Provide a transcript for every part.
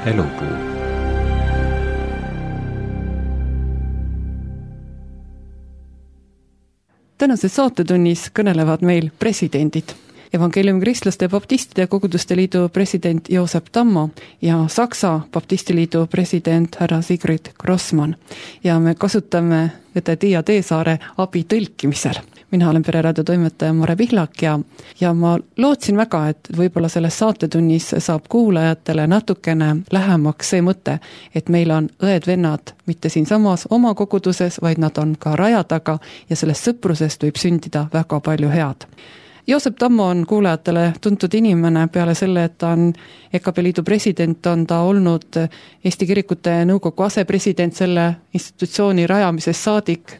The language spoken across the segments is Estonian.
elupuu. Tänases saatetunnis kõnelevad meil presidendid. Evangeeliumi kristlaste baptistide koguduste liidu president Joosep Tammo ja Saksa baptistiliidu president härra Sigrid Grossmann. Ja me kasutame õde Tiia Teesaare abi tõlkimisel. Mina olen Pereraadio toimetaja Mare Pihlak ja ma lootsin väga, et võib-olla selles saatetunnis saab kuulajatele natukene lähemaks see mõte, et meil on õed-vennad mitte siinsamas oma koguduses, vaid nad on ka raja taga ja sellest sõprusest võib sündida väga palju head. Joosep Tammo on kuulajatele tuntud inimene peale selle, et ta on EKP liidu president, on ta olnud Eesti Kirikute Nõukogu asepresident selle institutsiooni rajamisest saadik.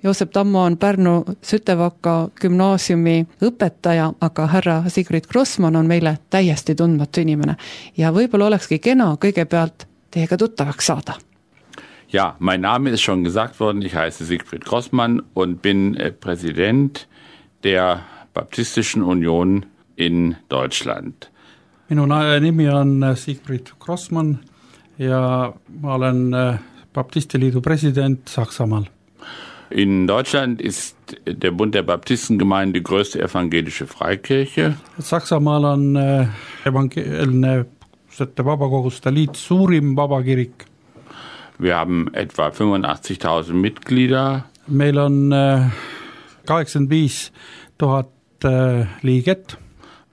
Joosep Tammo on Pärnu Sütevaka gümnaasiumi õpetaja, aga härra Sigrid Grossmann on meile täiesti tundmatu inimene. Ja võib-olla olekski kena kõigepealt teiega tuttavaks saada. Ja, mein Name ist schon gesagt worden. Ich heiße Sigrid Grossmann und bin Präsident der Baptistischen Union in Deutschland. Minu nimi on Sigrid Grossmann ja ma olen Baptistiliidu president Saksamaal. In Deutschland ist der Bund der Baptistengemeinde die größte evangelische Freikirche. Saksamaal on evangeelne vabakoguste liit suurim vabakirik. Wir haben etwa 85.000 Mitglieder. Meil on 85,000 liiget.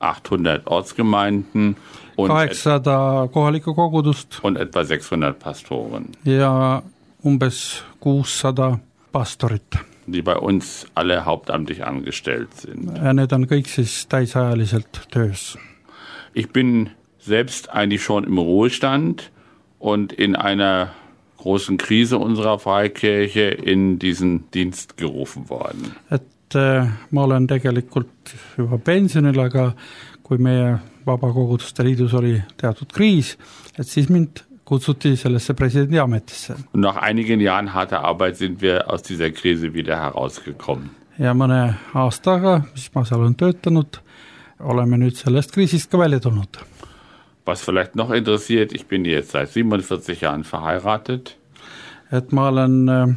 800 Ortsgemeinden. Und 800 kohalikku kogudust. Und etwa 600 Pastoren. Ja umbes 600 pastorit. Die bei uns alle hauptamtlich angestellt sind. Ja need on kõik siis täisajaliselt töös. Ich bin selbst eigentlich schon im Ruhestand und in einer großen Krise unserer Freikirche in diesen Dienst gerufen worden. Ma olen tegelikult juba pensionil, aga kui meie vabakoguduste liidus oli teatud kriis, et siis mind kutsuti sellesse presidendi ametisse. Und nach einigen Jahren harter Arbeit sind wir aus dieser Krise wieder herausgekommen. Ja mõne aastaga, mis ma seal on töötanud, oleme nüüd sellest kriisist ka välja tulnud. Was vielleicht noch interessiert, ich bin jetzt seit 47 Jahren verheiratet. Et ma olen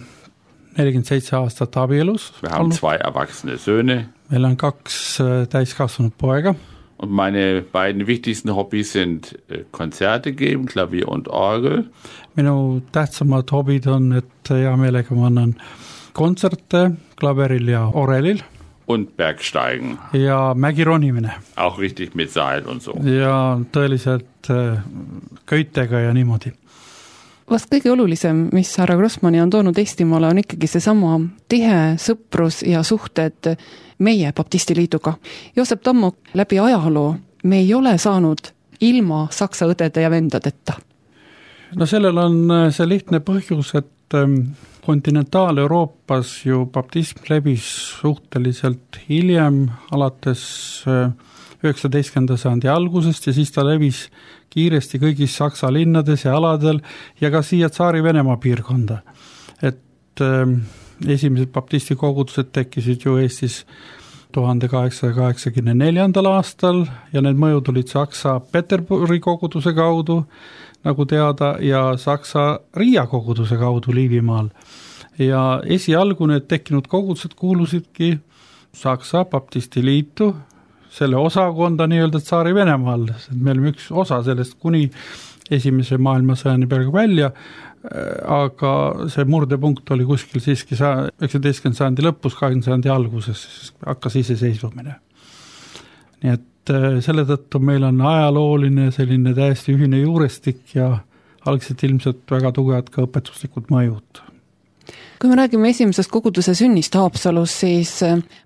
47 aastat abielus. Wir haben 2 erwachsene Söhne. Meil on 2 täiskasvanud poega. Und meine beiden wichtigsten Hobbys sind Konzerte geben, Klavier und Orgel. Minu tähtsamad hobid on, et hea meelega ma annan kontserte klaveril ja orelil. Und Bergsteigen. Ja mägironimine. Auch richtig mit Seil und so. Ja tõeliselt köitega ja niimoodi. Vast kõige olulisem, mis härra Grossmanni on toonud Eestimaale, on ikkagi seesama tihe sõprus ja suhted meie baptistiliiduga. Joosep Tammo, läbi ajaloo me ei ole saanud ilma saksa õdede ja vendadeta. No sellel on see lihtne põhjus, et kontinentaal-Euroopas ju baptism levis suhteliselt hiljem, alates 19. sajandi algusest ja siis ta levis kiiresti kõigis Saksa linnades ja aladel ja ka siia Tsaari-Venemaa piirkonda. Et esimesed baptisti kogudused tekkisid ju Eestis 1884. aastal ja need mõjud olid Saksa Peterburi koguduse kaudu, nagu teada, ja Saksa Riia koguduse kaudu Liivimaal. Ja esialgu need tekkinud kogudused kuulusidki Saksa baptisti liitu, selle osakonda nii-öelda Tsaari-Venemaal. Me olime üks osa sellest kuni esimese maailmasõjani peale välja, aga see murdepunkt oli kuskil siiski 19. sajandi lõpus, 20. sajandi alguses, hakkas iseseisvumine. Nii et selle tõttu meil on ajalooline selline täiesti ühine juurestik ja algselt ilmselt väga tugevad ka õpetuslikud mõjud. Kui me räägime esimesest koguduse sünnist Haapsalus, siis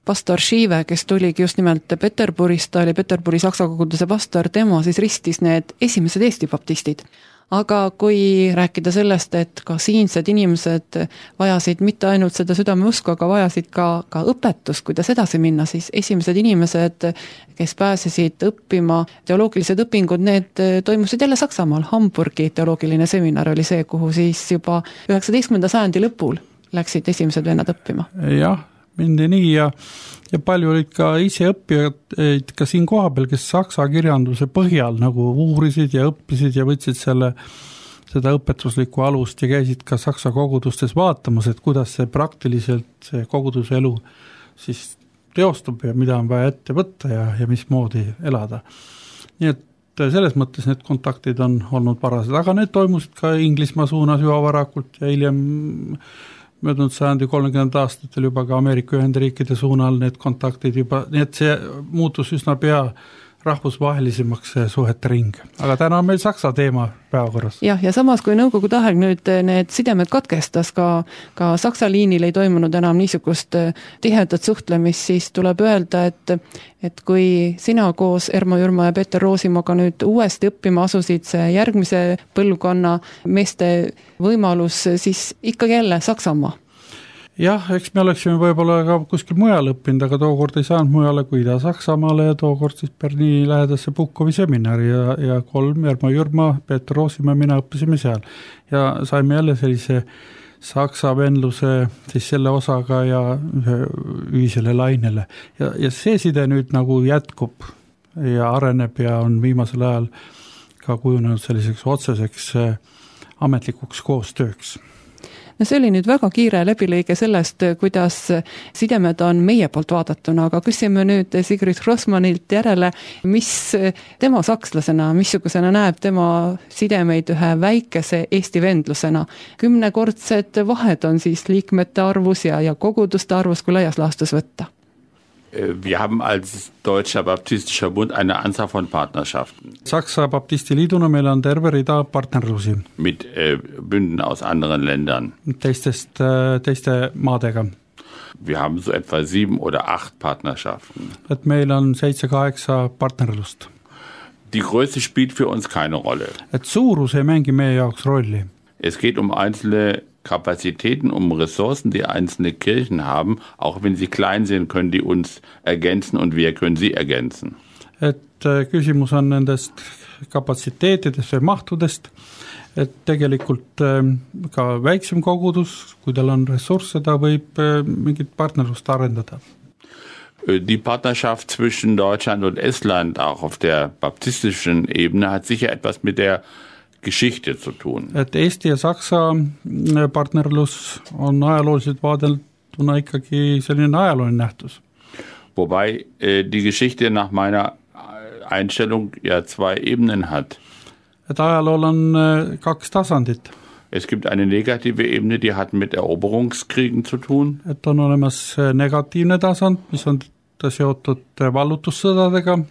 pastor Schive, kes tuligi just nimelt Peterburist, ta oli Peterburi saksa koguduse pastor, tema siis ristis need esimesed Eesti baptistid. Aga kui rääkida sellest, et ka siinsed inimesed vajasid mitte ainult seda südameusku, aga vajasid ka õpetust, kuidas edasi minna, siis esimesed inimesed, kes pääsesid õppima teoloogilised õpingud, need toimusid jälle Saksamaal. Hamburgi teoloogiline seminar oli see, kuhu siis juba 19. sajandi lõpul läksid esimesed vennad õppima. Jah, mindi nii ja palju olid ka ise õppijad ka siin koha peal, kes saksa kirjanduse põhjal nagu uurisid ja õppisid ja võtsid seda õpetuslikku alust ja käisid ka saksa kogudustes vaatamas, et kuidas see praktiliselt see koguduse elu siis teostub ja mida on vaja ette võtta ja mismoodi elada. Nii et selles mõttes need kontaktid on olnud parased, aga need toimusid ka Inglismaa suunas juba varakult ja hiljem möödunud sajandi 30 aastatel juba ka Ameerika Ühendriikide suunal need kontaktid juba, nii et see muutus üsna pea rahvusvahelisemaks suhete ring. Aga täna on meil Saksa teema päevakorras. Ja samas kui Nõukogude aeg nüüd need sidemed katkestas, ka Saksa liinil ei toimunud enam niisugust tihedat suhtlemist, siis tuleb öelda, et kui sina koos Ermo Jürma ja Peeter Roosimaga nüüd uuesti õppima asusid see järgmise põlvkonna meeste võimalus, siis ikkagi jälle Saksamaa. Jah, eks me oleksime võib-olla ka kuskil mujal õppinud, aga tookord ei saanud mujale kui Ida-Saksamaale ja tookord siis Berliini lähedasse Puhkovi seminari ja 3 Ermo Jürma, Peeter Roosimaa, mina õppisime seal. Ja saime jälle sellise saksa venluse siis selle osaga ja ühisele lainele. Ja see side nüüd nagu jätkub ja areneb ja on viimasel ajal ka kujunenud selliseks otseseks ametlikuks koostööks. No see oli nüüd väga kiire läbilõige sellest, kuidas sidemed on meie poolt vaadatuna, aga küsime nüüd Sigrid Grossmanilt järele, mis tema sakslasena, missugusena näeb tema sidemeid ühe väikese Eesti vendlusena. 10-kordsed vahed on siis liikmete arvus ja koguduste arvus, kui laias laastus võtta. Wir haben als Deutscher Baptistischer Bund eine Anzahl von Partnerschaften. Saksa Baptistiliiduna meil on terve rida partnerlusi. Mit Bünden aus anderen Ländern. Teiste maadega. Wir haben so etwa 7 oder 8 Partnerschaften. Et meil on 7-8 partnerlust. Die Größe spielt für uns keine Rolle. Et suurus ei mängi meie jaoks rolli. Es geht einzelne Kapazitäten, Ressourcen, die einzelne Kirchen haben, auch wenn sie klein sind, können die uns ergänzen und wir können sie ergänzen. Et küsimus on nendest kapatsiteetidest või mahtudest, et tegelikult ka väiksem kogudus, kui tal on ressursse, ta võib mingit partnerlust arendada. Die Partnerschaft zwischen Deutschland und Estland, auch auf der baptistischen Ebene, hat sicher etwas mit der Geschichte zu tun. Et Eesti ja Saksa partnerlus on ajalooliselt vaadelduna ikkagi selline ajalooline nähtus. Wobei die Geschichte nach meiner Einstellung ja 2 Ebenen hat. Et ajalool on 2 tasandit. Es gibt eine negative Ebene, die hat mit Eroberungskriegen zu tun. Et on olemas negatiivne tasand, mis on seotud vallutussõdadega.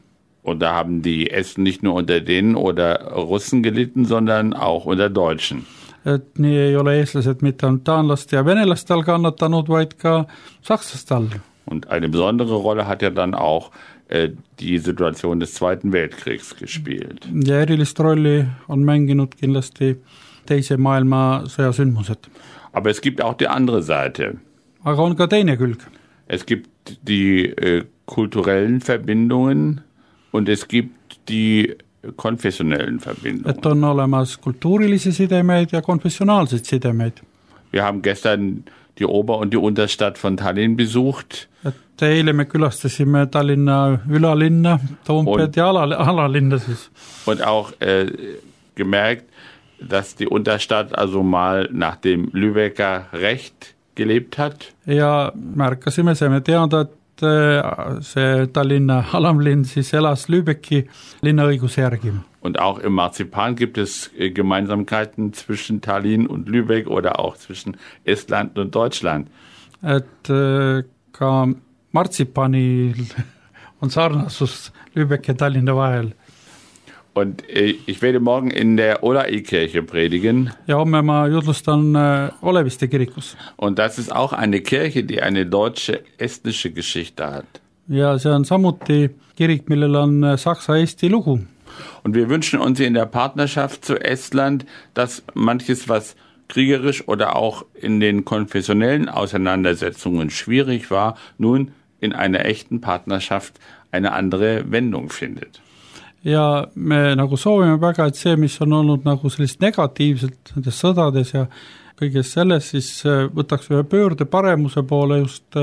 Und da haben die Esten nicht nur unter denen oder Russen gelitten, sondern auch unter Deutschen. Et nii ei ole eestlased mitte ainult taanlaste ja venelastel kannatanud, vaid ka sakslastel. Und eine besondere Rolle hat ja dann auch die Situation des Zweiten Weltkriegs gespielt. Ja erilist rolli on mänginud kindlasti teise maailmasõja sündmused. Aber es gibt auch die andere Seite. Aga on ka teine külg. Es gibt die kulturellen Verbindungen und es gibt die konfessionellen Verbindungen. Et on olemas kultuurilisi sidemeid ja konfessionaalseid sidemeid. Wir haben gestern die Ober- und die Unterstadt von Tallinn besucht. Et eile me külastasime Tallinna ülalinna, Toompead ja alalinna siis. Und auch gemerkt, dass die Unterstadt also mal nach dem Lübecker Recht gelebt hat. Ja märkasime, saime teada, et see Tallinna alamlinn siis elas Lübecki linnaõiguse järgi. Und auch im Marzipan gibt es Gemeinsamkeiten zwischen Tallinn und Lübeck oder auch zwischen Estland und Deutschland. Et ka martsipanil on sarnasus Lübeck ja Tallinna vahel. Und ich werde morgen in der Olai-Kirche predigen. Ja homme ma jutlustan Oleviste kirikus. Und das ist auch eine Kirche, die eine deutsche-estnische Geschichte hat. Ja see on samuti kirik, millel on saksa-eesti lugu. Und wir wünschen uns in der Partnerschaft zu Estland, dass manches, was kriegerisch oder auch in den konfessionellen Auseinandersetzungen schwierig war, nun in einer echten Partnerschaft eine andere Wendung findet. Ja me nagu soovime väga, et see, mis on olnud nagu sellist negatiivselt nendes sõdades ja kõiges selles, siis võtaks ühe pöörde paremuse poole just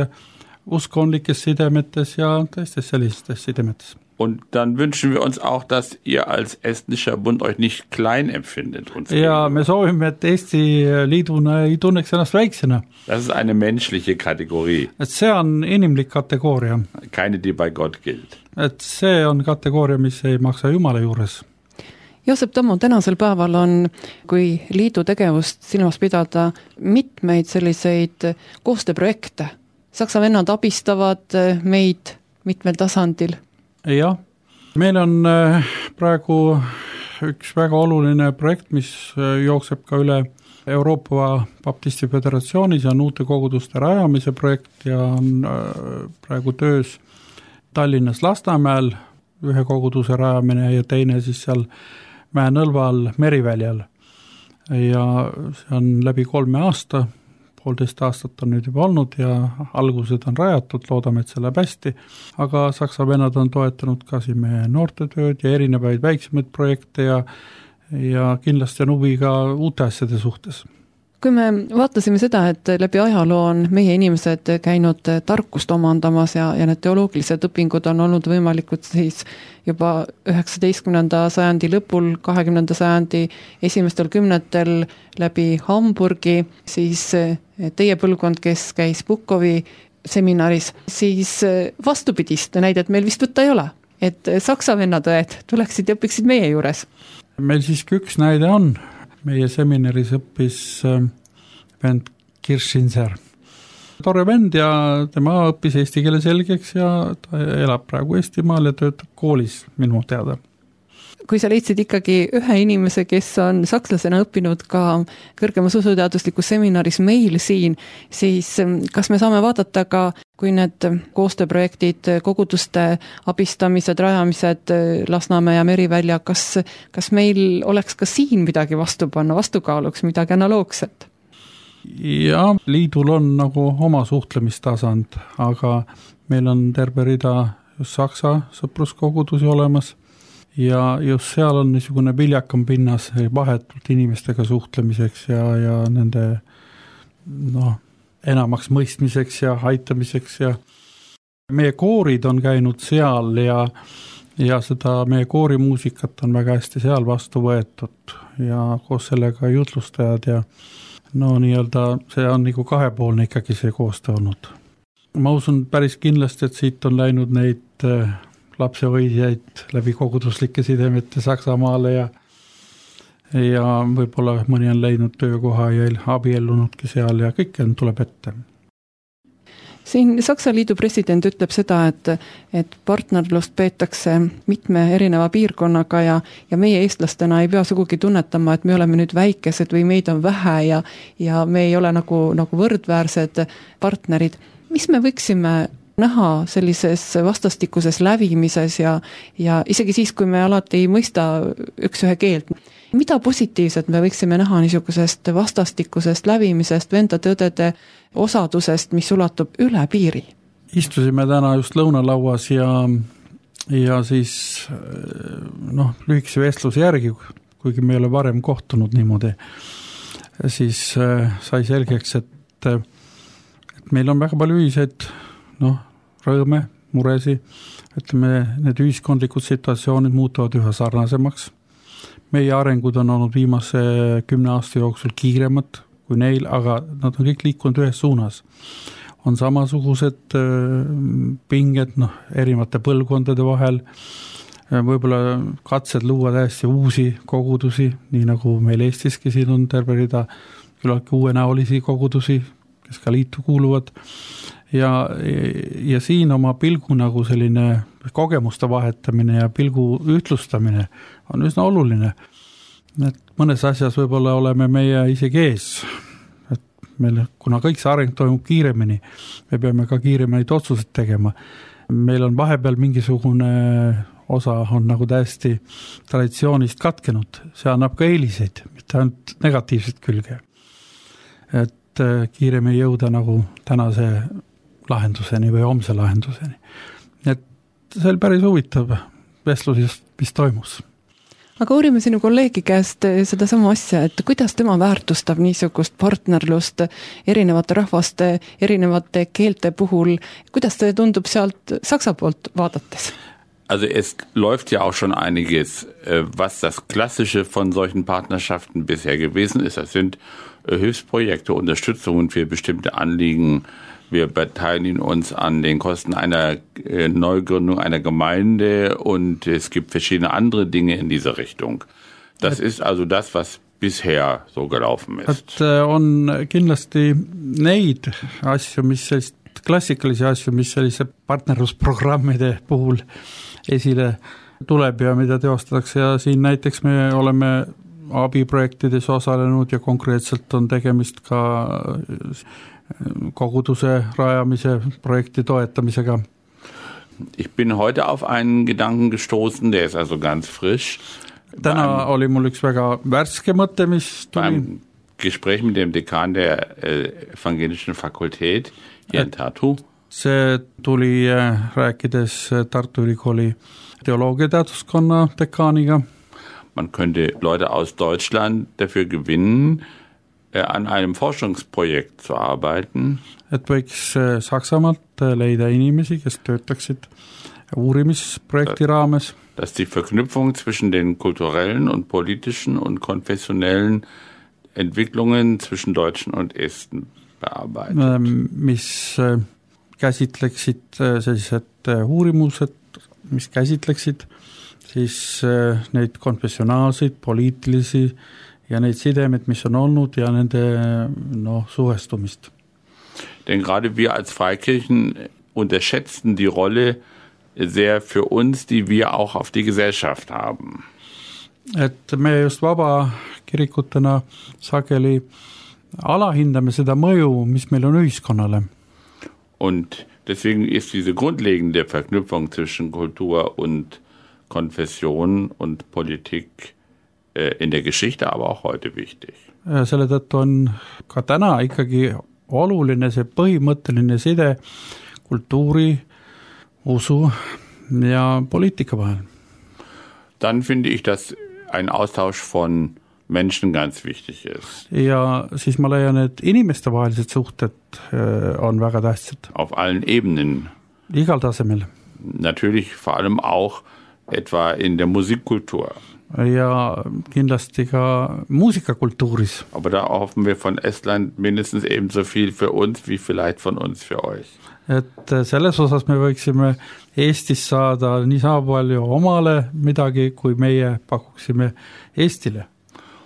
uskondlikes sidemetes ja teistes sellistes sidemetes. Und dann wünschen wir uns auch, dass ihr als estnischer Bund euch nicht klein empfindet. Ja, me soovime, et Eesti liiduna ei tunneks ennast väiksena. Das ist eine menschliche Kategorie. Et see on inimlik kategooria. Keine, die bei Gott gilt. Et see on kategooria, mis ei maksa Jumala juures. Joosep Tammo, tänasel päeval on, kui liidu tegevust silmas pidada, mitmeid selliseid koostööprojekte. Saksa vennad abistavad meid mitmel tasandil. Jah, meil on praegu üks väga oluline projekt, mis jookseb ka üle Euroopa Baptisti Föderatsioonis ja on uute koguduste rajamise projekt ja on praegu töös Tallinnas Lasnamäel ühe koguduse rajamine ja teine siis seal Mäe-Nõlval Meriväljal. Ja see on läbi 3 aasta, 1,5 aastat on nüüd juba olnud ja algused on rajatud, loodame, et see läheb hästi, aga Saksa vennad on toetanud ka siin meie noortetööd ja erinevaid väiksemaid projekte ja kindlasti on huvi ka uute asjade suhtes. Kui me vaatasime seda, et läbi ajaloo on meie inimesed käinud tarkust omandamas ja need teoloogilised õpingud on olnud võimalikud siis juba 19. sajandi lõpul, 20. sajandi esimestel kümnetel läbi Hamburgi, siis teie põlvkond, kes käis Bukovi seminaris, siis vastupidist näidet meil vist võtta ei ole, et saksa vennadõed tuleksid ja õpiksid meie juures. Meil siiski üks näide on. Meie seminaris õppis vend Kirschinser. Tore vend ja tema õppis eesti keele selgeks ja ta elab praegu Eestimaal ja töötab koolis minu teada. Kui sa leidsid ikkagi ühe inimese, kes on sakslasena õppinud ka kõrgemas usuteaduslikus seminaris meil siin, siis kas me saame vaadata ka, kui need koostööprojektid, koguduste abistamised, rajamised Lasnamäe ja Merivälja, kas meil oleks ka siin midagi vastu panna, vastukaaluks midagi analoogset? Ja liidul on nagu oma suhtlemistasand, aga meil on terve rida just Saksa sõpruskogudusi olemas ja just seal on niisugune viljakam pinnas vahetult inimestega suhtlemiseks ja nende enamaks mõistmiseks ja aitamiseks ja meie koorid on käinud seal ja seda meie koorimuusikat on väga hästi seal vastu võetud ja koos sellega jutlustajad ja nii-öelda see on nagu kahepoolne ikkagi see koostöö olnud. Ma usun päris kindlasti, et siit on läinud neid lapsehoidjaid läbi koguduslike sidemete Saksamaale ja võib-olla mõni on leidnud töökoha ja abiellunudki seal ja kõik tuleb ette. Siin Saksa Liidu president ütleb seda, et partnerlust peetakse mitme erineva piirkonnaga ja meie eestlastena ei pea sugugi tunnetama, et me oleme nüüd väikesed või meid on vähe ja me ei ole nagu võrdväärsed partnerid. Mis me võiksime näha sellises vastastikuses lävimises ja isegi siis, kui me alati ei mõista üks ühe keelt. Mida positiivset me võiksime näha niisugusest vastastikusest lävimisest, vendade-õdede osadusest, mis ulatub üle piiri? Istusime täna just lõunalauas ja siis lühikese vestluse järgi, kuigi me ei ole varem kohtunud niimoodi, siis sai selgeks, et meil on väga palju ühiseid rõõme, muresi, ütleme, need ühiskondlikud situatsioonid muutuvad üha sarnasemaks. Meie arengud on olnud viimase 10 aasta jooksul kiiremad kui neil, aga nad on kõik liikunud ühes suunas. On samasugused pinged erinevate põlvkondade vahel, võib-olla katsed luua täiesti uusi kogudusi, nii nagu meil Eestiski siin on terve rida küllaltki uuenäolisi kogudusi, kes ka liitu kuuluvad. Ja siin oma pilgu nagu selline kogemuste vahetamine ja pilgu ühtlustamine on üsna oluline. Et mõnes asjas võib-olla oleme meie isegi ees. Et meil, kuna kõik see areng toimub kiiremini, me peame ka kiiremini otsused tegema. Meil on vahepeal mingisugune osa on nagu täiesti traditsioonist katkenud. See annab ka eeliseid, mitte ainult negatiivset külge. Et kiiremini jõuda nagu tänase lahenduseni või homse lahenduseni. Et see oli päris huvitav vestlus, mis toimus. aga uurime sinu kolleegi käest sedasama asja, et kuidas tema väärtustab niisugust partnerlust erinevate rahvaste, erinevate keelte puhul, kuidas see tundub sealt Saksa poolt vaadates? Also es läuft ja auch schon einiges, was das Klassische von solchen Partnerschaften bisher gewesen ist. Das sind Hilfsprojekte, Unterstützungen für bestimmte Anliegen. Wir beteiligen uns an den Kosten einer Neugründung einer Gemeinde und es gibt verschiedene andere Dinge in diese Richtung. Das ist also das, was bisher so gelaufen ist. On kindlasti neid asju, mis sellist klassikalisi asju, mis sellise partnerlusprogrammide puhul esile tuleb ja mida teostatakse ja siin näiteks me oleme abiprojektides osalenud ja konkreetselt on tegemist ka koguduse rajamise projekti toetamisega. Ich bin heute auf einen Gedanken gestoßen, der ist also ganz frisch. Täna oli mul üks väga värske mõte, mis tuli. Beim Gespräch mit dem Dekan der evangelischen Fakultät hier in Tartu. See tuli rääkides Tartu Ülikooli teoloogiateaduskonna dekaaniga. Man könnte Leute aus Deutschland dafür gewinnen, an einem Forschungsprojekt zu arbeiten. Et võiks Saksamaalt leida inimesi, kes töötaksid uurimisprojekti raames. Dass die Verknüpfung zwischen den kulturellen und politischen und konfessionellen Entwicklungen zwischen Deutschen und Esten bearbeitet. Mis käsitleksid sellised uurimused, mis käsitleksid siis neid konfessionaalseid, poliitilisi ja neid sidemed, mis on olnud ja nende suhestumist. Denn gerade wir als Freikirchen unterschätzen die Rolle sehr für uns, die wir auch auf die Gesellschaft haben. Et me just vaba kirikutena sageli alahindame seda mõju, mis meil on ühiskonnale. Und deswegen ist diese grundlegende Verknüpfung zwischen Kultur und Konfession und Politik in der Geschichte, aber auch heute wichtig. Selle tõttu on ka täna ikkagi oluline see põhimõtteline side kultuuri, usu ja poliitika vahel. Dann finde ich, dass ein Austausch von Menschen ganz wichtig ist. Ja siis ma leian, et inimeste vahelised suhted on väga tähtsad. Auf allen Ebenen. Igal tasemel. Natürlich vor allem auch etwa in der Musikkultur. Ja kindlasti ka muusikakultuuris. Aber da hoffen wir von Estland mindestens ebenso viel für uns, wie vielleicht von uns für euch. Et selles osas me võiksime Eestis saada nii sama palju omale midagi, kui meie pakuksime Eestile.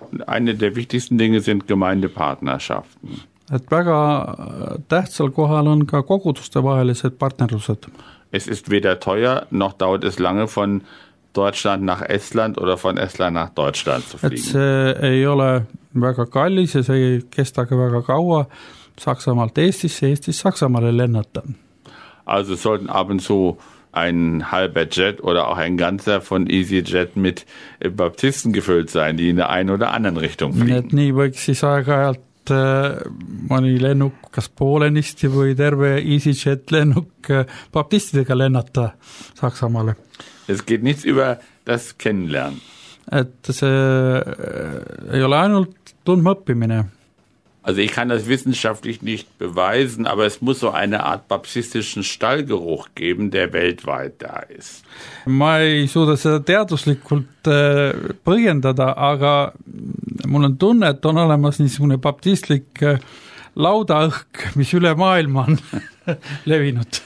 Und eine der wichtigsten Dinge sind Gemeindepartnerschaften. Et väga tähtsal kohal on ka koguduste vahelised partnerlused. Es ist weder teuer, noch dauert es lange von Deutschland nach Estland oder von Estland nach Deutschland zu fliegen. Et see ei ole väga kallis ja see ei kesta ka väga kaua Saksamaalt Eestisse, Eestist Saksamaale lennata. Also sollten ab und zu ein halber Jet oder auch ein ganzer von EasyJet mit Baptisten gefüllt sein, die in der einen oder anderen Richtung fliegen. Et nii võiks siis aeg-ajalt mõni lennuk kas poolenisti või terve EasyJet lennuk baptistidega lennata Saksamaale. Es geht nichts über das Kennenlernen. Et see ei ole ainult tundma õppimine. Also ich kann das wissenschaftlich nicht beweisen, aber es muss so eine Art baptistischen Stallgeruch geben, der weltweit da ist. Ma ei suuda seda teaduslikult põhjendada, aga mul on tunne, et on olemas niisugune baptistlik laudaõhk, mis üle maailma on levinud.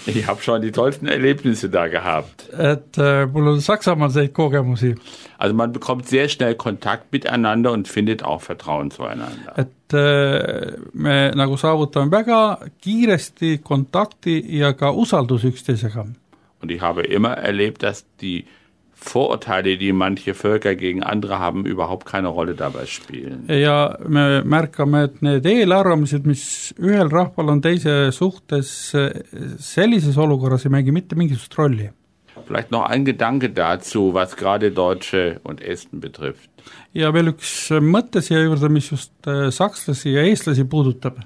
Ich habe schon die tollsten Erlebnisse da gehabt. Et mul on Saksamaal selliseid kogemusi. Also man bekommt sehr schnell Kontakt miteinander und findet auch Vertrauen zueinander. Et me nagu saavutame väga kiiresti kontakti ja ka usaldus üksteisega. Und ich habe immer erlebt, dass die Vorurteile, die manche Völker gegen andere haben, überhaupt keine Rolle dabei spielen. Ja me märkame, et need eelarvamused, mis ühel rahval on teise suhtes sellises olukorras ei mängi mitte mingisugust rolli. Vielleicht noch ein Gedanke dazu, was gerade Deutsche und Esten betrifft. Ja veel üks mõte siia juurde, mis just sakslasi ja eestlasi puudutab.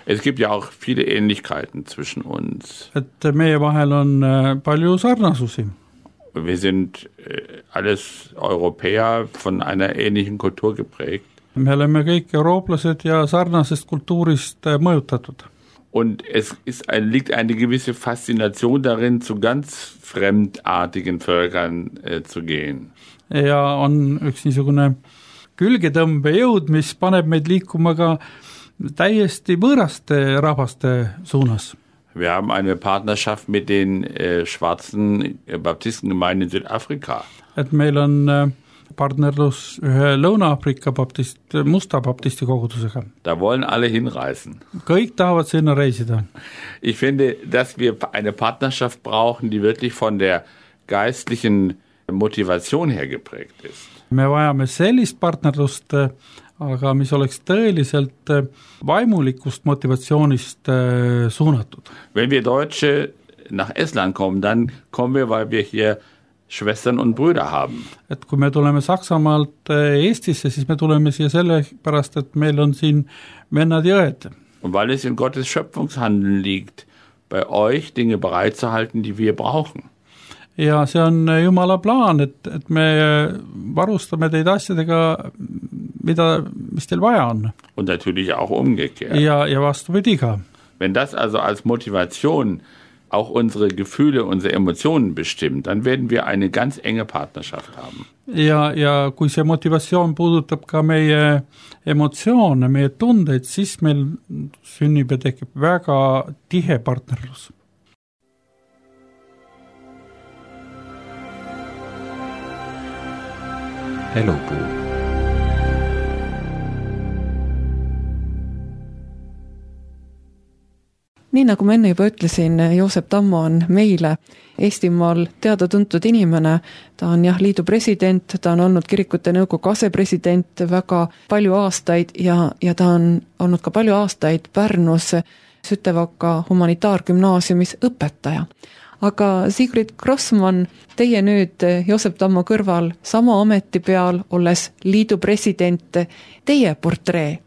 Es gibt ja auch viele Ähnlichkeiten zwischen uns. Et meie vahel on palju sarnasusi. Wir sind alles Europäer von einer ähnlichen Kultur geprägt. Me oleme kõik eurooplased ja sarnasest kultuurist mõjutatud. Und es liegt eine gewisse Faszination darin, zu ganz fremdartigen Völkern zu gehen. Ja on üks niisugune külgetõmbejõud, mis paneb meid liikuma ka täiesti võõraste rahvaste suunas. Wir haben eine Partnerschaft mit den schwarzen Baptistengemeinden in Südafrika. Et meil on partnerlus ühe Lõuna-Afrika musta baptisti kogudusega. Da wollen alle hinreisen. Kõik tahavad sinna reisida. Ich finde, dass wir eine Partnerschaft brauchen, die wirklich von der geistlichen Motivation her geprägt ist. Me vajame sellist partnerlust, aga mis oleks tõeliselt vaimulikust motivatsioonist suunatud. Wenn wir Deutsche nach Estland kommen, dann kommen wir, weil wir hier Schwestern und Brüder haben. Et kui me tuleme Saksamaalt Eestisse, siis me tuleme siia sellepärast, et meil on siin vennad ja õed. Und weil es in Gottes Schöpfungshandeln liegt, bei euch Dinge bereitzuhalten, die wir brauchen. Ja see on Jumala plaan, et me varustame teid asjadega, mis teil vaja on. Und natürlich auch umgekehrt. Ja vastupidi ka. Wenn das also als Motivation auch unsere Gefühle, unsere Emotionen bestimmt, dann werden wir eine ganz enge Partnerschaft haben. Ja kui see motivatsioon puudutab ka meie emotsioone, meie tundeid, siis meil sünnib ja tekib väga tihe partnerlus. Elupuu. Nii nagu ma enne juba ütlesin, Joosep Tammo on meile Eestimaal teada-tuntud inimene. Ta on liidu president, ta on olnud kirikute nõukogu asepresident väga palju aastaid ja ta on olnud ka palju aastaid Pärnus Sütevaka humanitaargümnaasiumis õpetaja. Aga Sigrid Grossmann, teie nüüd Joosep Tammo kõrval sama ameti peal, olles liidu president, teie portree?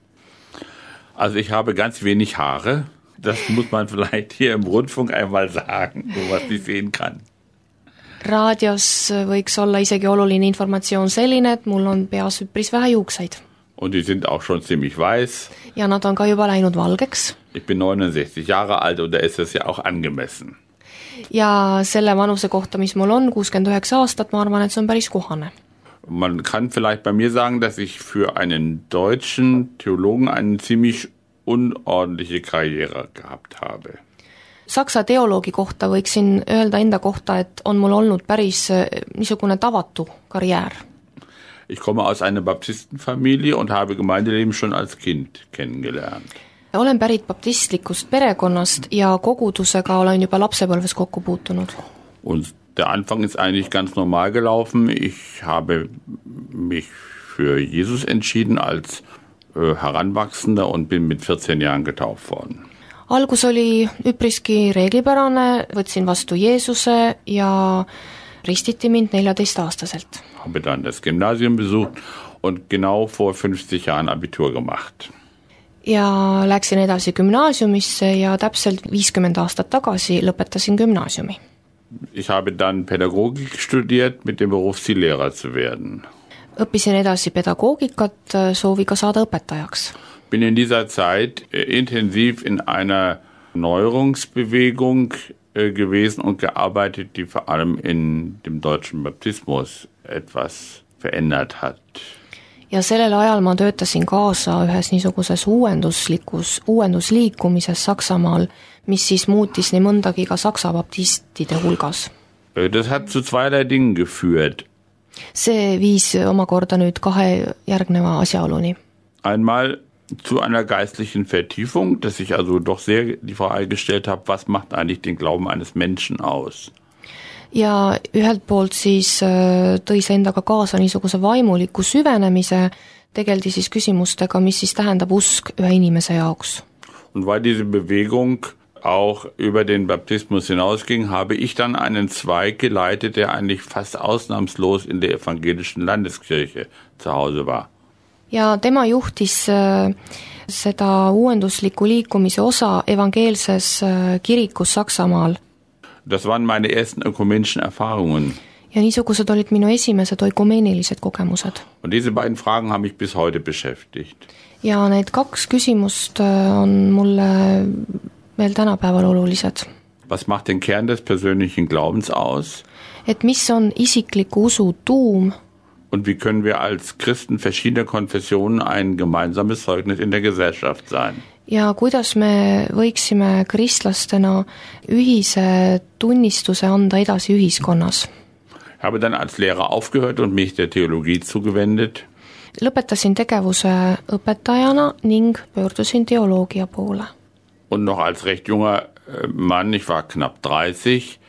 Also ich habe ganz wenig Haare. Das muss man vielleicht hier im Rundfunk einmal sagen, so was ich sehen kann. Raadios võiks olla isegi oluline informatsioon selline, et mul on peas üpris vähe juukseid. Und die sind auch schon ziemlich weiß. Ja nad on ka juba läinud valgeks. Ich bin 69 Jahre alt und da ist es ja auch angemessen. Ja selle vanuse kohta, mis mul on, 69 aastat, ma arvan, et see on päris kohane. Man kann vielleicht bei mir sagen, dass ich für einen deutschen Theologen einen ziemlich unordentliche Karriere gehabt habe. Saksa teoloogi kohta võiksin öelda enda kohta, et on mul olnud päris niisugune tavatu karjäär. Ich komme aus einer Baptistenfamilie und habe Gemeindeleben schon als Kind kennengelernt. Olen pärit baptistlikust perekonnast ja kogudusega olen juba lapsepõlves kokku puutunud. Und der Anfang ist eigentlich ganz normal gelaufen. Ich habe mich für Jesus entschieden als Heranwachsender und bin mit 14 Jahren getauft worden. Algus oli üpriski reeglipärane, võtsin vastu Jeesuse ja ristiti mind 14-aastaselt. Habe dann das Gymnasium besucht und genau vor 50 Jahren Abitur gemacht. Ja läksin edasi gümnaasiumisse ja täpselt 50 aastat tagasi lõpetasin gümnaasiumi. Ich habe dann Pädagogik studiert mit dem Berufsziel Lehrer zu werden. Õppisin edasi pedagoogikat sooviga saada õpetajaks. Bin in dieser Zeit intensiv in einer Neuerungsbewegung gewesen und gearbeitet, die vor allem in dem deutschen Baptismus etwas verändert hat. Ja sellel ajal ma töötasin kaasa ühes niisuguses uuendusliikumises Saksamaal, mis siis muutis nii mõndagi ka saksa baptistide hulgas. Das hat zu zweierlei Dingen geführt. See viis omakorda nüüd kahe järgneva asjaoluni. Einmal zu einer geistlichen Vertiefung, dass ich also doch sehr die Frage gestellt habe, was macht eigentlich den Glauben eines Menschen aus? Ja ühelt poolt siis tõi see endaga kaasa niisuguse vaimuliku süvenemise, tegeldi siis küsimustega, mis siis tähendab usk ühe inimese jaoks. Und weil diese Bewegung auch über den Baptismus hinausging, habe ich dann einen Zweig geleitet, der eigentlich fast ausnahmslos in der evangelischen Landeskirche zu Hause war. Ja tema juhtis seda uuendusliku liikumise osa evangeelses kirikus Saksamaal. Das waren meine ersten ökumenischen Erfahrungen. Ja niisugused olid minu esimesed oikumeenilised kogemused. Und diese beiden Fragen haben mich bis heute beschäftigt. Ja need 2 küsimust on mulle veel tänapäeval olulised. Was macht den Kern des persönlichen Glaubens aus? Et mis on isikliku usu tuum? Und wie können wir als Christen verschiedener Konfessionen ein gemeinsames Zeugnis in der Gesellschaft sein? Ja kuidas me võiksime kristlastena ühise tunnistuse anda edasi ühiskonnas? Ich habe dann als Lehrer aufgehört und mich der Theologie zugewendet. Lõpetasin tegevuse õpetajana ning pöördusin teoloogia poole. Und noch als recht junger Mann, ich war knapp 30,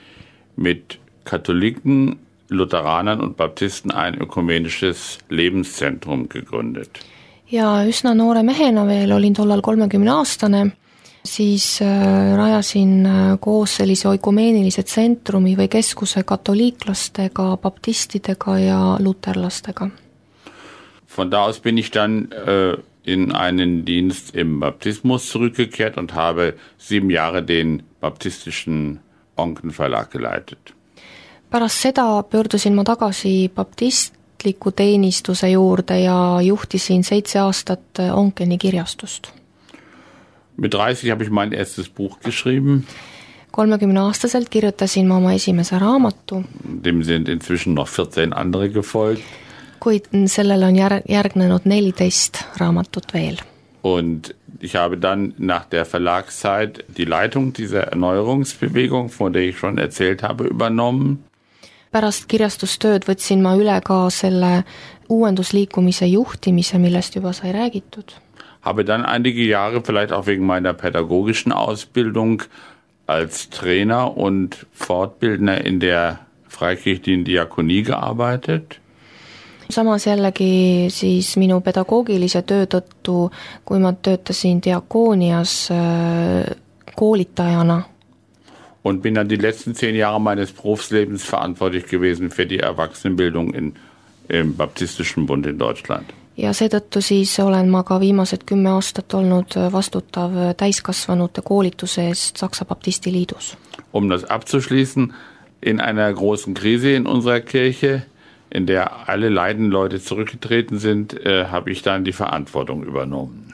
mit Katholiken, Lutheranern und Baptisten ein ökumenisches Lebenszentrum gegründet. Ja üsna noore mehena veel, olin tollal 30-aastane, siis rajasin koos sellise oikumeenilise tsentrumi või keskuse katoliiklastega, baptistidega ja luterlastega. Von da aus bin ich dann in einen Dienst im Baptismus zurückgekehrt und habe 7 Jahre den baptistischen Onken-Verlag geleitet. Pärast seda pöördusin ma tagasi baptistliku teenistuse juurde ja juhtisin 7 aastat Onkeni kirjastust. Mit 30 habe ich mein erstes Buch geschrieben. 30-aastaselt kirjutasin ma oma esimese raamatu. Dem sind inzwischen noch 14 andere gefolgt. Kuid sellele on järgnenud 14 raamatut veel. Und ich habe dann nach der Verlagszeit die Leitung dieser Erneuerungsbewegung, von der ich schon erzählt habe, übernommen. Pärast kirjastustööd võtsin ma üle ka selle uuendusliikumise juhtimise, millest juba sai räägitud. Habe dann einige Jahre, vielleicht auch wegen meiner pädagogischen Ausbildung, als Trainer und Fortbildner in der freikirchlichen Diakonie gearbeitet. Samas jällegi siis minu pedagoogilise töö tõttu, kui ma töötasin diakoonias koolitajana. Und bin dann die letzten 10 Jahre meines Berufslebens verantwortlich gewesen für die Erwachsenenbildung im Baptistischen Bund in Deutschland. Ja seetõttu siis olen ma ka viimased 10 aastat olnud vastutav täiskasvanute koolituse eest Saksa Baptisti Liidus. Um das abzuschließen, in einer großen Krise in unserer Kirche, in der alle Leidenleute zurückgetreten sind, habe ich dann die Verantwortung übernommen.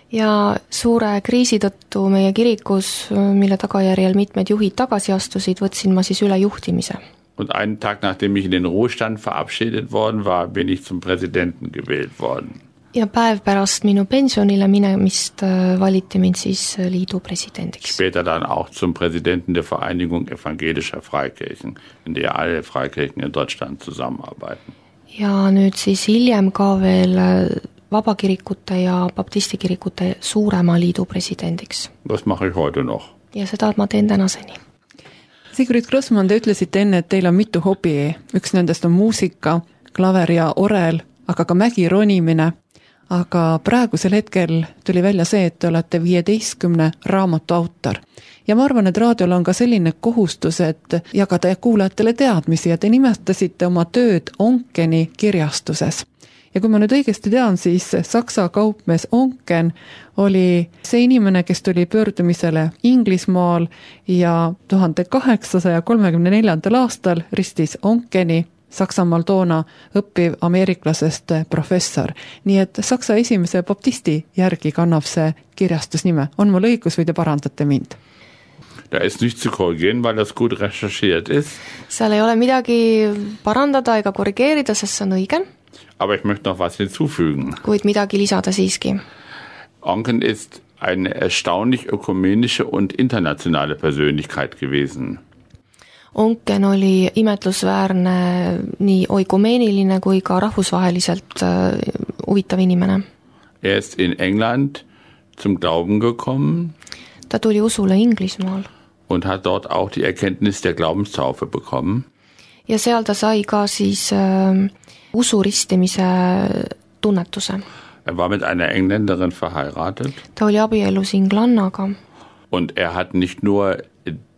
Ja suure kriisi tõttu meie kirikus, mille tagajärjel mitmed juhid tagasi astusid, võtsin ma siis üle juhtimise. Und einen Tag, nachdem ich in den Ruhestand verabschiedet worden war, bin ich zum Präsidenten gewählt worden. Ja päev pärast minu pensionile minemist valiti mind siis liidu presidendiks. Später dann auch zum Präsidenten der Vereinigung evangelischer Freikirchen, in der alle Freikirchen in Deutschland zusammenarbeiten. Ja nüüd siis hiljem ka veel vabakirikute ja baptistikirikute suurema liidu presidendiks. Das mache ich heute noch. Ja seda ma teen tänaseni. Sigrid Grossmann, te ütlesite enne, et teil on mitu hobi. Üks nendest on muusika, klaver ja orel, aga ka mägironimine. Aga praegusel hetkel tuli välja see, et te olete 15 raamatu autor. Ja ma arvan, et raadiol on ka selline kohustus, et jagada kuulajatele teadmisi ja te nimetasite oma tööd Onkeni kirjastuses. Ja kui ma nüüd õigesti tean, siis Saksa kaupmees Onken oli see inimene, kes tuli pöördumisele Inglismaal ja 1834. aastal ristis Onkeni Saksamaal toona õppiv ameeriklasest professor. Nii et Saksa esimese baptisti järgi kannab see kirjastusnime. On mul õigus või te parandate mind? Da ist nicht zu korrigieren, weil das gut recherchiert ist. Seal ei ole midagi parandada ega korrigeerida, sest see on õige. Aber ich möchte noch was hinzufügen. Kuid midagi lisada siiski. Onken ist eine erstaunlich ökumenische und internationale Persönlichkeit gewesen. Onken oli imetlusväärne nii oikumeeniline kui ka rahvusvaheliselt huvitav inimene. Ist in England zum Glauben gekommen. Ta tuli usule Inglismaal. Und hat dort auch die Erkenntnis der Glaubenstaufe bekommen. Ja seal ta sai ka siis usuristimise tunnetuse. War mit einer Engländerin verheiratet. Ta oli abielus inglannaga. Und hat nicht nur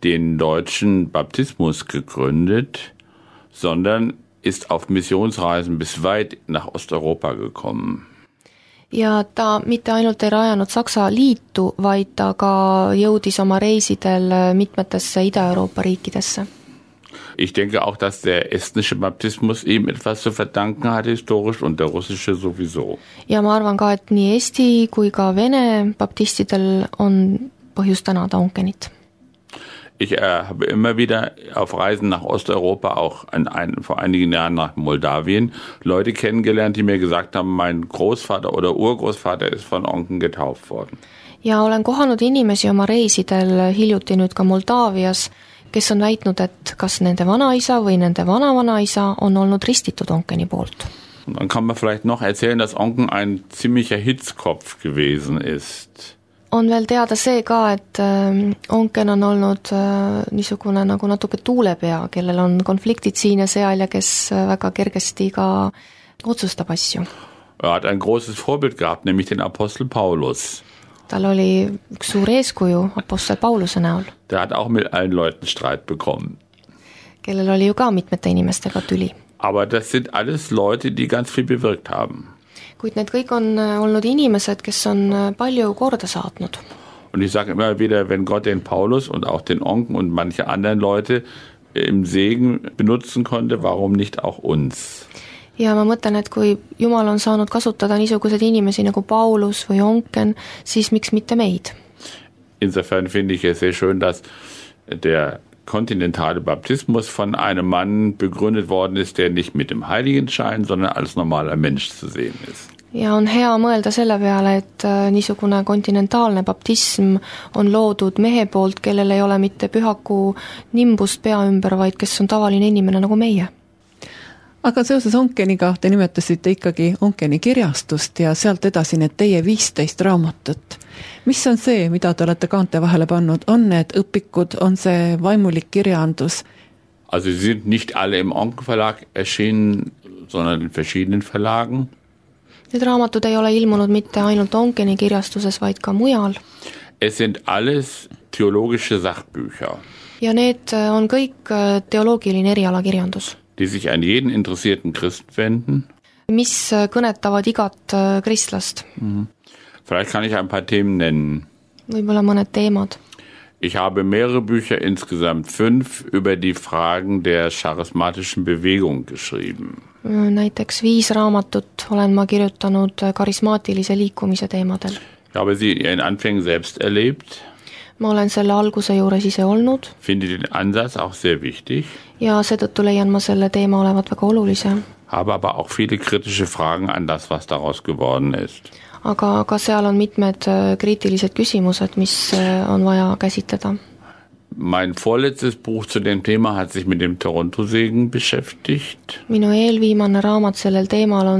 den deutschen Baptismus gegründet, sondern ist auf Missionsreisen bis weit nach Osteuropa gekommen. Ja ta mitte ainult ei rajanud Saksa liitu, vaid ta ka jõudis oma reisidel mitmetesse Ida-Euroopa riikidesse. Ich denke auch, dass der estnische Baptismus ihm etwas zu verdanken hat, historisch, und der russische sowieso. Ja ma arvan ka, et nii Eesti kui ka Vene baptistidel on põhjust tänada Onkenit. Ich habe immer wieder auf Reisen nach Osteuropa, auch vor einigen Jahren nach Moldawien, Leute kennengelernt, die mir gesagt haben, mein Großvater oder Urgroßvater ist von Onken getauft worden. Ja olen kohanud inimesi oma reisidel hiljuti nüüd ka Moldaavias, kes on väitnud, et kas nende vanaisa või nende vanavanaisa on olnud ristitud Onkeni poolt. Und dann kann man vielleicht noch erzählen, dass Onken ein ziemlicher Hitzkopf gewesen ist. On veel teada see ka, et Onken on olnud niisugune nagu natuke tuulepea, kellel on konfliktid siin ja seal ja kes väga kergesti ka otsustab asju. Hat ein großes Vorbild gehabt, nämlich den Apostel Paulus. Tal oli üks suur eeskuju apostel Pauluse näol. Der hat auch mit allen Leuten Streit bekommen. Kellel oli ju ka mitmete inimestega tüli. Aber das sind alles Leute, die ganz viel bewirkt haben. Kuid need kõik on olnud inimesed, kes on palju korda saatnud. Und ich sage immer wieder, wenn Gott den Paulus und auch den Onken und manche anderen Leute im Segen benutzen konnte, warum nicht auch uns? Ja ma mõtlen, et kui Jumal on saanud kasutada niisugused inimesi nagu Paulus või Onken, siis miks mitte meid? Insofern finde ich es sehr schön, dass der kontinentale Baptismus von einem Mann begründet worden ist, der nicht mit dem Heiligenschein, sondern als normaler Mensch zu sehen ist. Ja on hea mõelda selle peale, et niisugune kontinentaalne baptism on loodud mehe poolt, kellel ei ole mitte pühaku nimbust pea ümber, vaid kes on tavaline inimene nagu meie. Aga seoses Onkeniga te nimetasite ikkagi Onkeni kirjastust ja sealt edasi need teie 15 raamatut. Mis on see, mida te olete kaante vahele pannud? On need õpikud, on see vaimulik kirjaandus? Also sie sind nicht alle im Onken Verlag erschienen, sondern in verschiedenen Verlagen. Need raamatud ei ole ilmunud mitte ainult Onkeni kirjastuses, vaid ka mujal. Es sind alles theologische Sachbücher. Ja need on kõik teoloogiline erialakirjandus. Die sich an jeden interessierten Christ wenden. Mis kõnetavad igat kristlast. Vielleicht kann ich ein paar Themen nennen. Võib-olla mõned teemad. Ich habe mehrere Bücher, insgesamt 5, über die Fragen der charismatischen Bewegung geschrieben. Näiteks 5 raamatut olen ma kirjutanud karismaatilise liikumise teemadel. Ich habe sie in ihren Anfängen selbst erlebt. Ma olen selle alguse juures ise olnud. Finde den Ansatz auch sehr wichtig. Ja seetõttu leian ma selle teema olevat väga olulise. Habe aber auch viele kritische Fragen an das, was daraus geworden ist. Aga ka seal on mitmed kriitilised küsimused, mis on vaja käsitleda. Mein vorletztes Buch zu dem Thema hat sich mit dem Toronto-Segen beschäftigt. Minu eelviimane raamat sellel teemal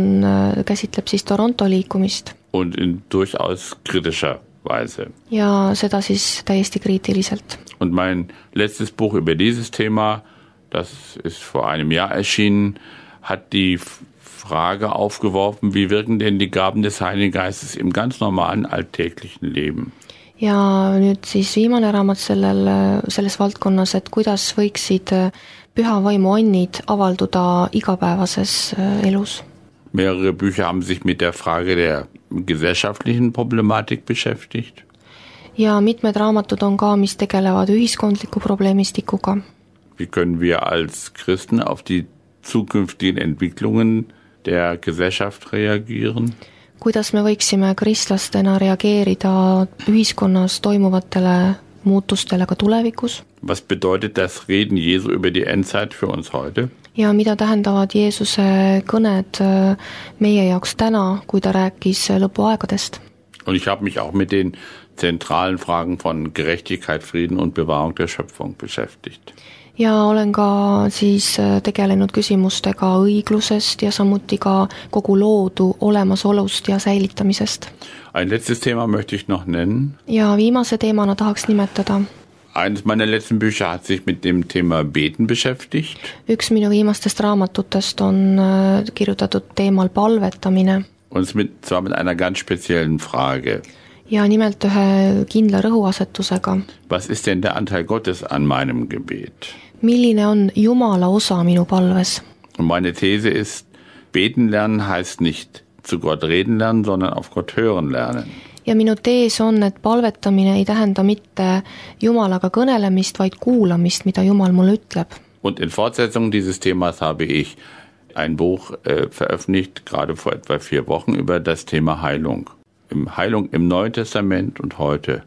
käsitleb siis Toronto liikumist. Und in durchaus kritischer Weise. Ja seda siis täiesti kriitiliselt. Und mein letztes Buch über dieses Thema, das ist vor einem Jahr erschienen, hat die Frage aufgeworfen, wie wirken denn die Gaben des Heiligen Geistes im ganz normalen alltäglichen Leben? Ja nüüd siis viimane raamat selles valdkonnas, et kuidas võiksid püha vaimu annid avalduda igapäevases elus. Mehrere Bücher haben sich mit der Frage der gesellschaftlichen Problematik beschäftigt. Ja mitmed raamatud on ka, mis tegelevad ühiskondliku probleemistikuga. Wie können wir als Christen auf die zukünftigen Entwicklungen der Gesellschaft reagieren? Kuidas me võiksime kristlastena reageerida ühiskonnas toimuvatele muutustele ka tulevikus? Was bedeutet das Reden Jesu über die Endzeit für uns heute? Ja mida tähendavad Jeesuse kõned meie jaoks täna, kui ta rääkis lõpuaegadest? Und ich habe mich auch mit den zentralen Fragen von Gerechtigkeit, Frieden und Bewahrung der Schöpfung beschäftigt. Ja olen ka siis tegelenud küsimustega õiglusest ja samuti ka kogu loodu olemasolust ja säilitamisest. Ein letztes Thema möchte ich noch nennen. Ja viimase teemana tahaks nimetada. Eines meiner letzten Bücher hat sich mit dem Thema Beten beschäftigt. Üks minu viimastest raamatutest on kirjutatud teemal palvetamine. Und zwar mit einer ganz speziellen Frage. Ja nimelt ühe kindla rõhuasetusega. Was ist denn der Anteil Gottes an meinem Gebet? Milline on Jumala osa minu palves? Und meine These ist, beten lernen heißt nicht zu Gott reden lernen, sondern auf Gott hören lernen. Ja minu tees on, et palvetamine ei tähenda mitte Jumalaga kõnelemist, vaid kuulamist, mida Jumal mulle ütleb. Und in Fortsetzung dieses Themas habe ich ein Buch veröffentlicht, gerade vor etwa 4 Wochen, über das Thema Heilung. Heilung im Neuen Testament und heute.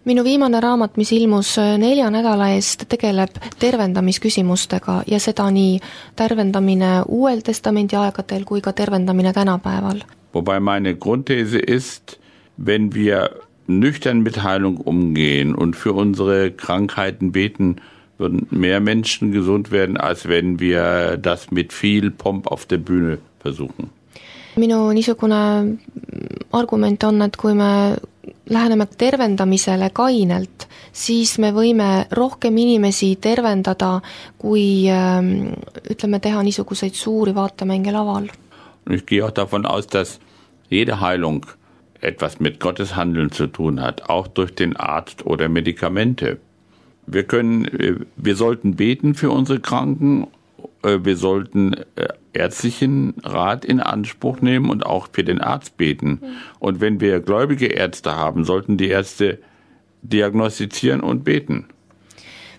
Minu viimane raamat, mis ilmus 4 nädala eest, tegeleb tervendamisküsimustega ja seda nii tervendamine Uuel Testamendi aegadel kui ka tervendamine tänapäeval. Wobei meine Grundthese ist, wenn wir nüchtern mit Heilung umgehen und für unsere Krankheiten beten, würden mehr Menschen gesund werden, als wenn wir das mit viel Pomp auf der Bühne versuchen. Minu niisugune argument on, et kui me läheneme tervendamisele kainelt, siis me võime rohkem inimesi tervendada, kui ütleme teha niisuguseid suuri vaatemänge laval. Und ich gehe auch davon aus, dass jede Heilung etwas mit Gottes Handeln zu tun hat, auch durch den Arzt oder Medikamente. Wir sollten beten für unsere Kranken, wir sollten ärztlichen Rat in Anspruch nehmen und auch für den Arzt beten. Und wenn wir gläubige Ärzte haben, sollten die Ärzte diagnostizieren und beten.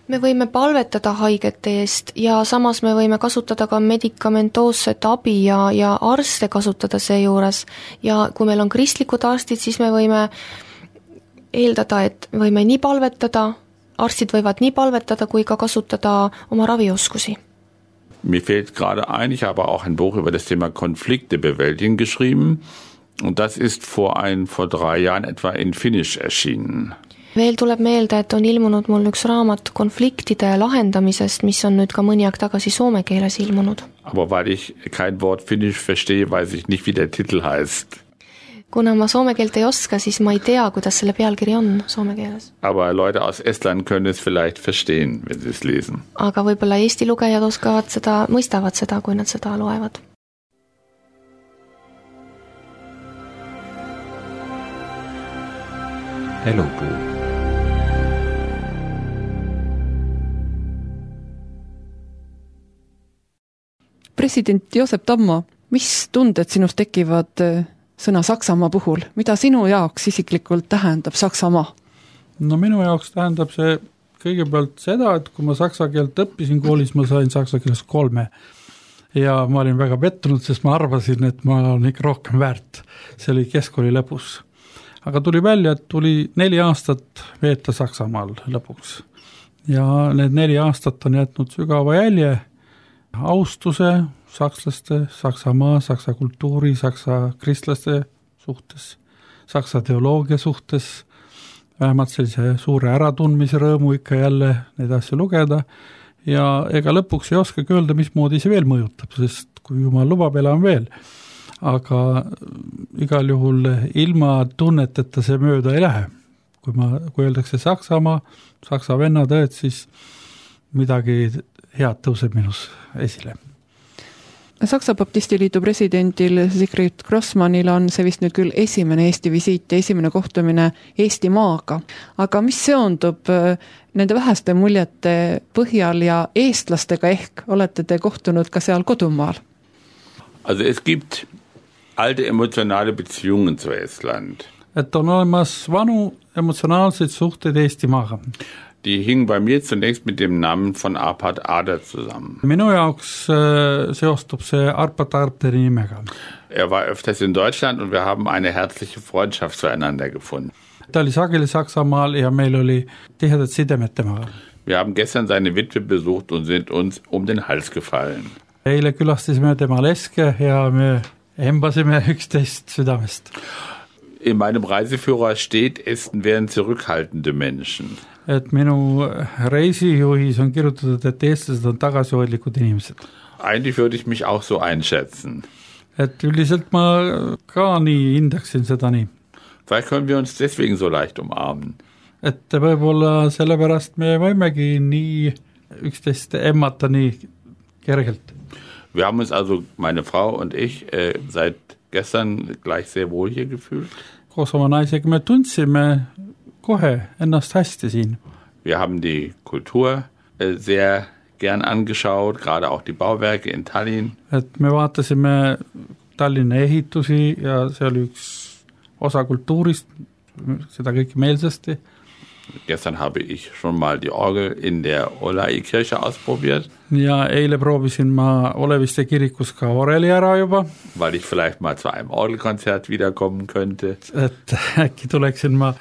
Me võime palvetada haigete eest ja samas me võime kasutada ka medikamentoosset abi ja arste kasutada seejuures. Ja kui meil on kristlikud arstid, siis me võime eeldada, et võime nii palvetada, arstid võivad nii palvetada kui ka kasutada oma ravioskusi. Mir fällt gerade ein, ich habe auch ein Buch über das Thema Konflikte bewältigen geschrieben und das ist vor 3 Jahren etwa in Finnisch erschienen. Veel tuleb meelde, et on ilmunud mul üks raamat konfliktide lahendamisest, mis on nüüd ka mõni aeg tagasi soome keeles ilmunud. Aber weil ich kein Wort Finnisch verstehe, weiß ich nicht, wie der Titel heißt. Kuna ma soome keelt ei oska, siis ma ei tea, kuidas selle pealkiri on soome keeles. Aber Leute aus Estland können es vielleicht verstehen, wenn sie es lesen. Aga võib-olla Eesti lugejad oskavad seda, mõistavad seda, kui nad seda loevad. Elupuu. President Joosep Tammo, mis tunded sinust tekivad sõna Saksamaa puhul? Mida sinu jaoks isiklikult tähendab Saksamaa? No minu jaoks tähendab see kõigepealt seda, et kui ma saksa keelt õppisin koolis, ma sain saksa keeles 3. Ja ma olin väga pettunud, sest ma arvasin, et ma olen ikka rohkem väärt. See oli keskkooli lõpus. Aga tuli välja, et tuli 4 aastat veeta Saksamaal lõpuks. Ja need 4 aastat on jätnud sügava jälje austuse sakslaste, Saksamaa, saksa kultuuri, saksa kristlaste suhtes, saksa teoloogia suhtes, vähemalt sellise suure äratundmise rõõmu ikka jälle neid asju lugeda ja ega lõpuks ei oskagi öelda, mismoodi see veel mõjutab, sest kui jumal lubab, elan veel. Aga igal juhul ilma tunneteta see mööda ei lähe. Kui öeldakse Saksamaa, saksa vennatõed, siis midagi head tõuseb minus esile. Saksa Baptistiliidu presidendil Sigrid Grossmannil on see vist nüüd küll esimene Eesti visiit ja esimene kohtumine Eesti maaga. Aga mis seondub nende väheste muljete põhjal ja eestlastega ehk olete te kohtunud ka seal kodumaal? Also es gibt alte emotionale Beziehungen zu Estland. Et on olemas vanu emotsionaalseid suhteid Eesti maaga. Die hingen bei mir zunächst mit dem Namen von Arpad Ader zusammen. Minu jaoks seostub see Arpad Aderi nimega. Er war öfters in Deutschland und wir haben eine herzliche Freundschaft zueinander gefunden. Ta oli sageli Saksamaal ja meil oli tihedad sidemed temaga. Wir haben gestern seine Witwe besucht und sind uns um den Hals gefallen. Eile külastasime tema leske ja me embasime üksteist südamest. In meinem Reiseführer steht, Esten wären zurückhaltende Menschen. Et minu reisijuhis on kirjutatud, et eestlased on tagasihoidlikud inimesed. Eigentlich würde ich mich auch so einschätzen. Et üldiselt ma ka nii hindaksin seda nii. Vielleicht können wir uns deswegen so leicht umarmen. Et võib-olla sellepärast me võimegi nii üksteist emmata nii kergelt. Wir haben uns also, meine Frau und ich, seit gestern gleich sehr wohl hier gefühlt. Koos oma naisega me tundsime kohe ennast hästi siin. Wir haben die Kultur sehr gern angeschaut, gerade auch die Bauwerke in Tallinn. Et me vaatasime Tallinna ehitusi ja see oli üks osa kultuurist, seda kõike meelsasti. Gestern habe ich schon mal die Orgel in der Olai-Kirche ausprobiert. Ja eile proovisin ma Oleviste kirikus ka oreli ära juba. Weil ich vielleicht mal zu einem Orgelkonzert wiederkommen könnte. Et äkki tuleksin ma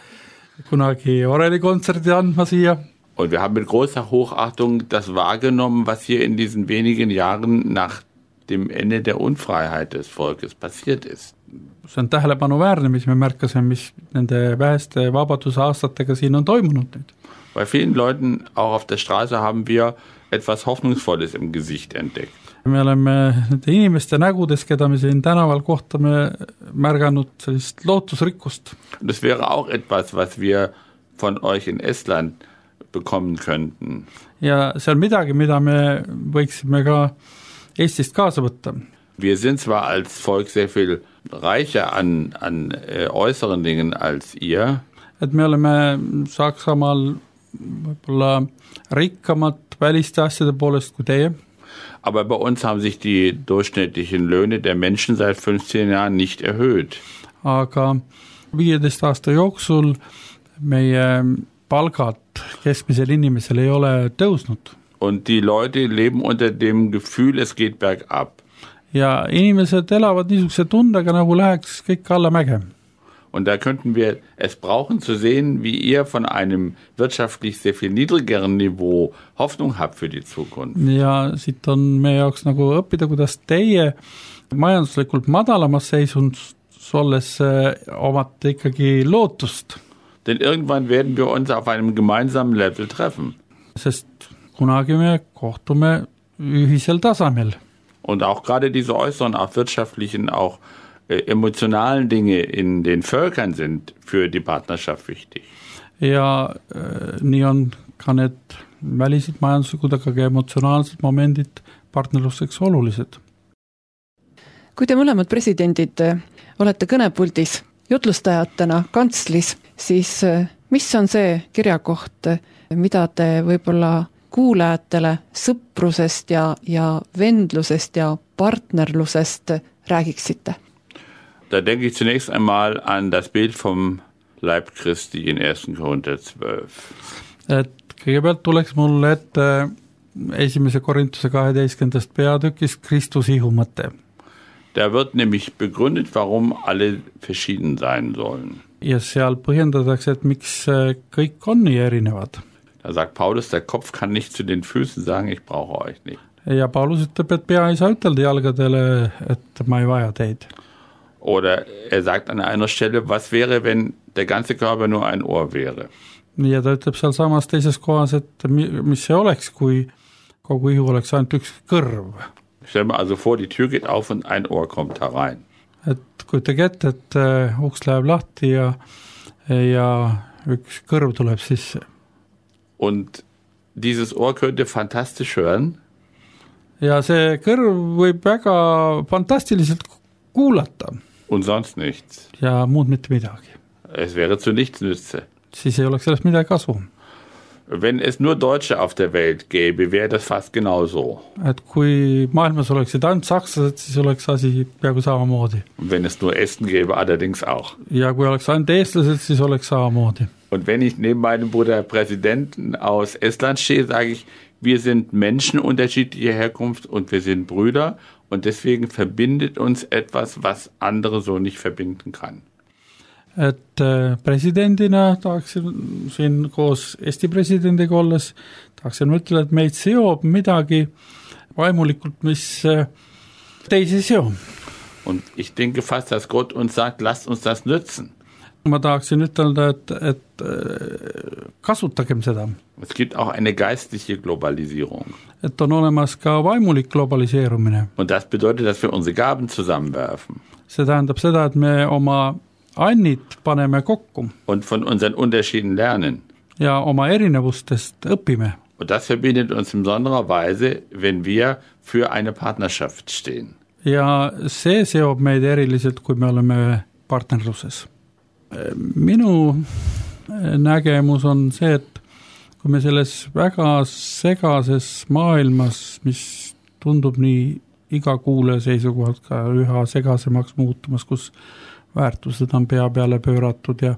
kunagi orelikontserti andma siia. Und wir haben mit großer Hochachtung das wahrgenommen, was hier in diesen wenigen Jahren nach dem Ende der Unfreiheit des Volkes passiert ist. See on tähelepanuväärne, mis me märkasime, mis nende väheste vabaduse aastatega siin on toimunud nüüd. Bei vielen Leuten, auch auf der Straße, haben wir etwas Hoffnungsvolles im Gesicht entdeckt. Me oleme nende inimeste nägudes, keda me siin tänaval kohtame, märganud sellist lootusrikkust. Das wäre auch etwas, was wir von euch in Estland bekommen könnten. Ja see on midagi, mida me võiksime ka Eestist kaasa võtta. Wir sind zwar als Volk sehr viel reicher an äußeren Dingen als ihr. Et me oleme Saksamaal võib-olla rikkamad väliste asjade poolest kui teie. Aber bei uns haben sich die durchschnittlichen Löhne der Menschen seit 15 Jahren nicht erhöht. Aga 15 aasta jooksul meie palgad keskmisel inimesel ei ole tõusnud. Und die Leute leben unter dem Gefühl, es geht bergab. Ja inimesed elavad niisuguse tundega, nagu läheks kõik alla mäge. Und da könnten wir es brauchen zu sehen, wie ihr von einem wirtschaftlich sehr viel niedrigeren Niveau Hoffnung habt für die Zukunft. Ja siit on meie jaoks nagu õppida, kuidas teie majanduslikult madalamas seisundis olles omate ikkagi lootust. Denn irgendwann werden wir uns auf einem gemeinsamen Level treffen. Sest kunagi me kohtume ühisel tasemel. Und auch gerade diese äußeren, auch wirtschaftlichen, auch emotionalen Dinge in den Völkern sind für die Partnerschaft wichtig. Ja nii on ka need välised majanduslikud, aga ka emotsionaalsed momendid partnerluseks olulised. Kui te mõlemad presidendid olete kõnepuldis jutlustajatena kantslis, siis mis on see kirjakoht, mida te võib-olla kuulajatele sõprusest ja vendlusest ja partnerlusest räägiksite? Da denke ich zunächst einmal an das Bild vom Leib Christi in 1. Korinther 12. Et kõigepealt tuleks mulle ette 1. Korintuse 12. peatükist Kristus ihumõte. Da wird nämlich begründet, warum alle verschieden sein sollen. Ja seal põhjendatakse, et miks kõik on nii erinevad. Da sagt Paulus, der Kopf kann nicht zu den Füßen sagen, ich brauche euch nicht. Ja Paulus ütleb, et pea ei saa ütelda jalgadele, et ma ei vaja teid. Oder er sagt an einer Stelle, was wäre, wenn der ganze Körper nur ein Ohr wäre? Ja ta ütleb seal samas teises kohas, et mis see oleks, kui kogu ihu oleks ainult üks kõrv. Stell mir also vor, die Tür geht auf und ein Ohr kommt herein. Et kujutage ette, et uks läheb lahti ja üks kõrv tuleb sisse. Und dieses Ohr könnte fantastisch hören. Ja see kõrv võib väga fantastiliselt kuulata. Und sonst nichts. Ja muud mitte midagi. Es wäre zu nichts nütze. Siis ei oleks sellest midagi kasu. Wenn es nur Deutsche auf der Welt gäbe, wäre das fast genauso. Et kui maailmas oleksid ainult sakslased, siis oleks asi peaaegu samamoodi. Und wenn es nur Esten gäbe, allerdings auch. Ja kui oleks ainult eestlased, siis oleks samamoodi. Und wenn ich neben meinem Bruder Präsidenten aus Estland stehe, sage ich, wir sind Menschen unterschiedlicher Herkunft und wir sind Brüder und deswegen verbindet uns etwas, was andere so nicht verbinden kann. Et presidendina tahaksin siin koos Eesti presidendiga olles, tahaksin mõtleda, et meid seob midagi vaimulikult, mis teisi seob. Und ich denke fast, dass Gott uns sagt, lasst uns das nützen. Ma tahaksin ütelda, et kasutagem seda. Es gibt auch eine geistliche Globalisierung. Et on olemas ka vaimulik globaliseerumine. Und das bedeutet, dass wir unsere Gaben zusammenwerfen. See tähendab seda, et me oma annid paneme kokku. Und von unseren Unterschieden lernen. Ja oma erinevustest õpime. Und das verbindet uns in besonderer Weise, wenn wir für eine Partnerschaft stehen. Ja see seob meid eriliselt, kui me oleme partnerluses. Minu nägemus on see, et kui me selles väga segases maailmas, mis tundub nii iga kuulaja seisukohalt ka üha segasemaks muutumas, kus väärtused on pea peale pööratud ja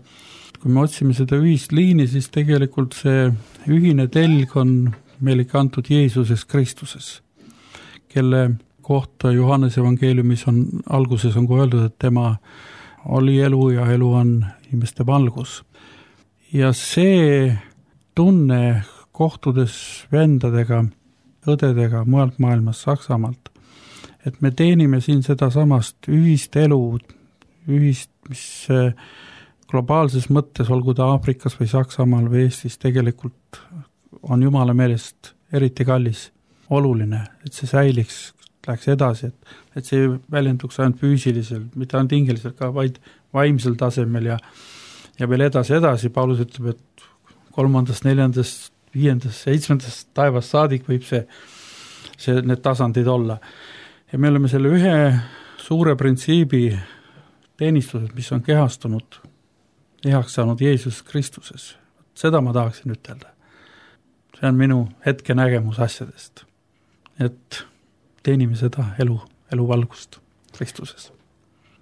kui me otsime seda ühist liini, siis tegelikult see ühine telg on meile kantud Jeesuses Kristuses, kelle kohta Johannese evangeeliumis alguses on öeldud, et tema oli elu ja elu on inimeste valgus. Ja see tunne kohtudes vendadega, õdedega mujalt maailmas, Saksamaalt, et me teenime siin seda samast ühist elu, ühist, mis globaalses mõttes, olgu ta Aafrikas või Saksamaal või Eestis, tegelikult on Jumala meelest eriti kallis, oluline, et see säiliks, läheks edasi, et see väljenduks ainult füüsiliselt, mitte ainult hingeliselt, ka vaid vaimsel tasemel ja veel edasi. Paulus ütleb, et 3., 4., 5., 7. taevast saadik võib need tasandid olla. Ja me oleme selle ühe suure printsiibi teenistused, mis on kehastunud, ehaks saanud Jeesus Kristuses. Seda ma tahaksin ütelda. See on minu hetke nägemus asjadest. Et teenime seda elu valgust Kristuses.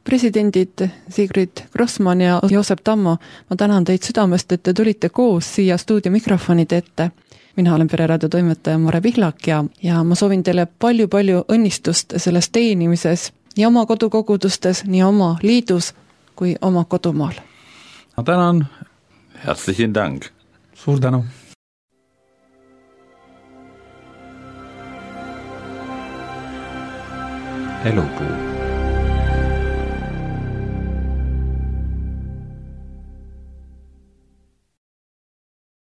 Presidendid Sigrid Grossmann ja Joosep Tammo, ma tänan teid südamest, et te tulite koos siia stuudio mikrofonide ette. Mina olen Pereraadio toimetaja Mare Pihlak ja ma soovin teile palju õnnistust selles teenimises nii oma kodukogudustes, nii oma liidus kui oma kodumaal. Ma tänan. Herzlichen Dank. Suur tänu. Elupuu.